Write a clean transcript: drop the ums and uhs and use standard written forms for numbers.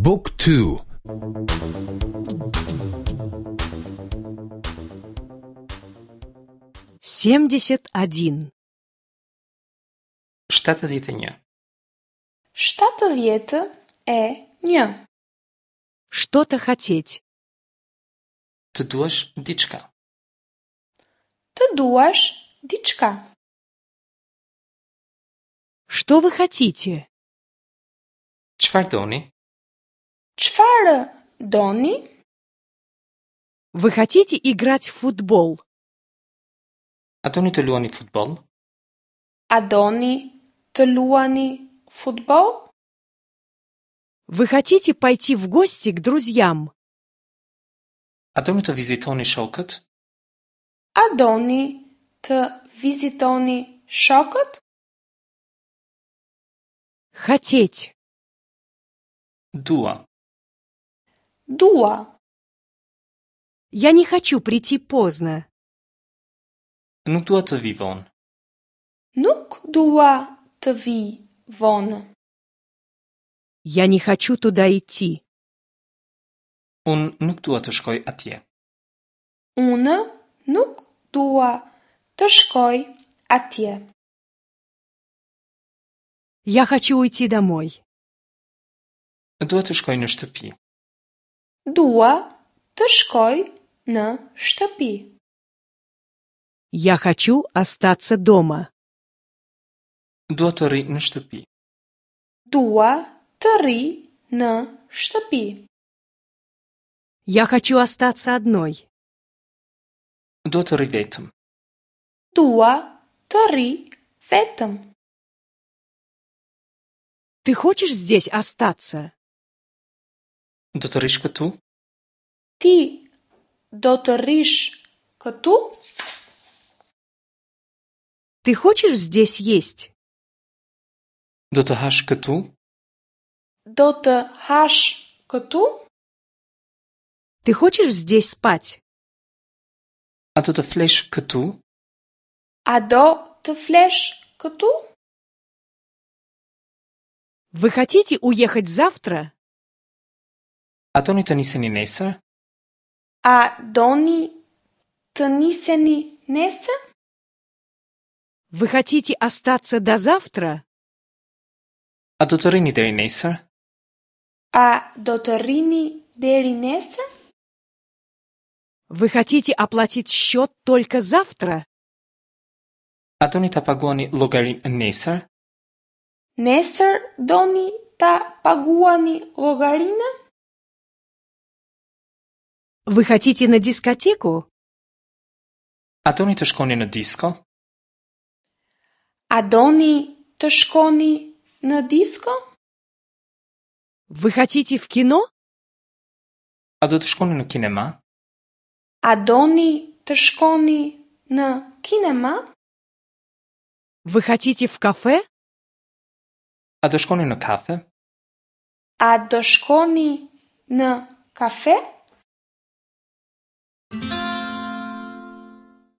บุ๊กทู 71. 71. 71. Что-то хотеть. Të duash diçka. Të duash diçka. Что вы хотите? Çfarë doni? Çfarë doni? Вы хотите играть в футбол? A doni të luani futboll? A doni të luani futboll? Вы хотите пойти в гости к друзьям? A doni të vizitoni shokët? A doni të vizitoni shokët? Хотеть. Dua. Dua. Я не хочу прийти поздно. Nuk dua të vi vonë. Nuk dua të vi vonë. Я не хочу туда идти. Unë nuk dua të shkoj atje. Unë nuk dua të shkoj atje. Я хочу уйти домой. Dua të shkoj në shtëpi. Dua të shkoj në shtëpi. Я хочу остаться дома. Dua të rri në shtëpi. Dua të rri në shtëpi. Я хочу остаться одной. Dua të rri vetëm. Dua të rri vetëm. Ты хочешь здесь остаться? Do të rrish këtu? Ti do të rrish këtu? Ты хочешь здесь есть? Do të hash këtu? Do të hash këtu? Ты хочешь здесь спать? A do të flesh këtu? A do të flesh këtu? Вы хотите уехать завтра? A doni të niseni nesër? A doni të niseni nesër? Вы хотите остаться до завтра? A do të rrini deri nesër? A do të rrini deri nesër? Вы хотите оплатить счет только завтра? A doni ta paguani llogarinë nesër? Nesër doni ta paguani llogarinë? Вы хотите на дискотеку? A doni të shkoni në disko? A doni të shkoni në disko? Вы хотите в кино? A do të shkoni në kinema? A doni të shkoni në kinema? Вы хотите в кафе? A do shkoni në kafe? A do shkoni në kafe?